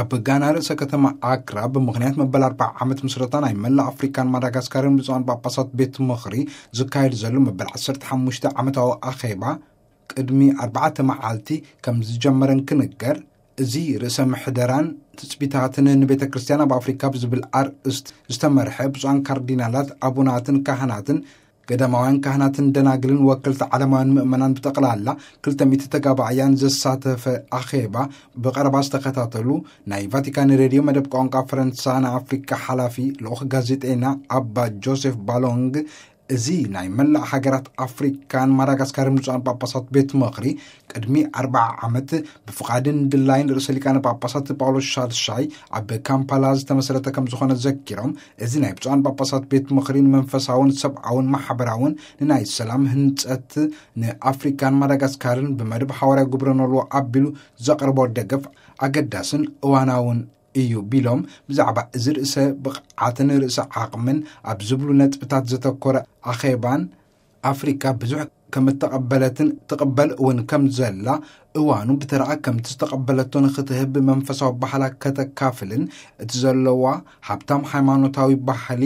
ኣብ ጋና ርእሰ ከተማ ኣክራ ብምኽንያት መበል ኣርባዓ ዓመት ምስረታ ናይ መላእ ኣፍሪካን ማዳጋስካርን ብፁዓን ጳጳሳት ቤት ምኽሪ ዝካየድ ዘሎ መበል ዓሰርተ ሓሙሽተ ዓመታዊ ኣኼባ ቅድሚ ኣርባዕተ መዓልቲ ከም ዝጀመረ እንክንገር፣ እዚ ርእሰ ምሕደራን ትጽቢታትን ንቤተ ክርስቲያን ኣብ ኣፍሪካ ብዝብል ኣርእስት ዝተመርሐ ብፁዓን ካርዲናላት፣ ኣቡናትን ካህናትን፣ ገዳማውያን ካህናትን ደናግልን ወከልቲ ዓለማውያን ምእመናን ብጠቕላላ ክልተ ሚእቲ ተጋባእያን ዘሳተፈ ኣኼባ ብቐረባ ዝተኸታተሉ ናይ ቫቲካን ሬድዮ መደብ ቋንቋ ፈረንሳ ንኣፍሪካ ሓላፊ ልኡኽ ጋዜጠኛ ኣባ ጆሴፍ ባሎንግ፣ እዚ ናይ መላእ ሃገራት ኣፍሪካን ማዳጋስካርን ብፁዓን ጳጳሳት ቤት ምኽሪ ቅድሚ ኣርባዓ ዓመት ብፍቓድን ድላይን ርእሰ ሊቃነ ጳጳሳት ጳውሎስ ሻድሻይ ኣብ ካምፓላ ዝተመስረተ ከም ዝኾነ ዘኪሮም፣ እዚ ናይ ብፁዓን ጳጳሳት ቤት ምኽሪ ንመንፈሳውን ሰብኣውን ማሕበራውን ንናይ ሰላም ህንጸት ንኣፍሪካን ማዳጋስካርን ብመደብ ሓዋርያ ግብረ ኖልዎ ኣቢሉ ዘቕርቦ ደገፍ ኣገዳስን እዋናውን እዩ ቢሎም፣ ብዛዕባ እዚ ርእሰ ብቕዓትን ርእሰ ዓቕምን ኣብ ዝብሉ ነጥብታት ዘተኮረ ኣኼባን ኣፍሪካ ብዙሕ ከም እተቐበለትን ትቕበል እውን ከም ዘላ፣ እዋኑ ብተረኣ ከምቲ ዝተቐበለቶ ንክትህብ መንፈሳዊ ባህላ ከተካፍልን እቲ ዘለዋ ሃብታም ሃይማኖታዊ ባህሊ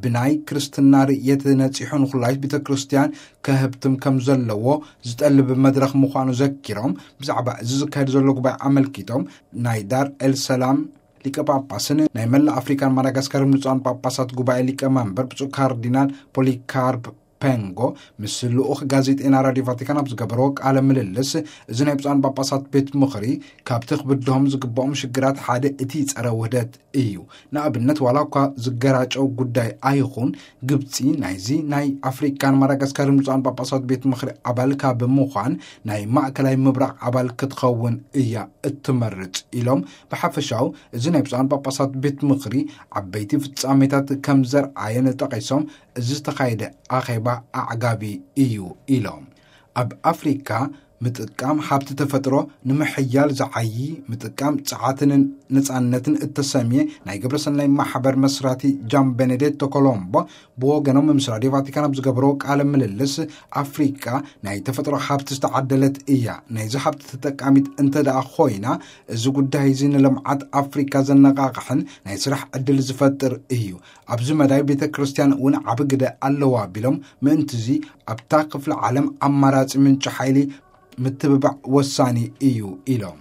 ብናይ ክርስትና ርእየት ነጺሑ ንኩላይት ቤተ ክርስቲያን ከህብትም ከም ዘለዎ ዝጠልብ መድረኽ ምዃኑ ዘኪሮም፣ ብዛዕባ እዚ ዝካየድ ዘሎ ጉባኤ ኣመልኪቶም ናይ ዳር ኤል ሰላም ሊቀ ጳጳስን ናይ መላእ ኣፍሪካን ማዳጋስካርን ብፁዓን ጳጳሳት ጉባኤ ሊቀ መንበር ብፁዕ ካርዲናል ፖሊካርፕ ፔንጎ ምስ ልኡኽ ጋዜጠና ራዲዮ ቫቲካን ኣብ ዝገበርዎ ቃለ ምልልስ፣ እዚ ናይ ብፁዓን ጳጳሳት ቤት ምኽሪ ካብቲ ክብድሆም ዝግብኦም ሽግራት ሓደ እቲ ጸረ ውህደት እዩ። ንኣብነት፣ ዋላ እኳ ዝገራጨው ጉዳይ ኣይኹን፣ ግብጺ ናይዚ ናይ ኣፍሪካን ማዳጋስካርን ብፁዓን ጳጳሳት ቤት ምኽሪ ኣባል ካብ ምዃን ናይ ማእከላይ ምብራቕ ኣባል ክትኸውን እያ እትመርጽ ኢሎም፣ ብሓፈሻው እዚ ናይ ብፁዓን ጳጳሳት ቤት ምኽሪ ዓበይቲ ፍጻሜታት ከም ዘርኣየን ጠቒሶም፣ እዚ ዝተኻየደ ኣኼባ ኣዕጋቢ እዩ ኢሎም። ኣብ ኣፍሪካ ምጥቃም ሃብቲ ተፈጥሮ ንምሕያል ዝዓዪ ምጥቃም ጸዓትን ነጻነትን እተሰምየ ናይ ግብረሰናይ ማሕበር መስራቲ ጃን ቤኔዴቶ ኮሎምቦ ብወገኖም ምስ ራድዮ ቫቲካን ኣብ ዝገበርዎ ቃለ ምልልስ፣ ኣፍሪካ ናይ ተፈጥሮ ሃብቲ ዝተዓደለት እያ። ናይዚ ሃብቲ ተጠቃሚት እንተ ደኣ ኮይና፣ እዚ ጉዳይ እዚ ንልምዓት ኣፍሪካ ዘነቓቕሕን ናይ ስራሕ ዕድል ዝፈጥር እዩ። ኣብዚ መዳይ ቤተ ክርስቲያን እውን ዓቢ ግደ ኣለዋ ቢሎም፣ ምእንትዚ ኣብታ ክፍለ ዓለም ኣማራጺ ምንጪ ሓይሊ ምትብባዕ ወሳኒ እዩ ኢሎም።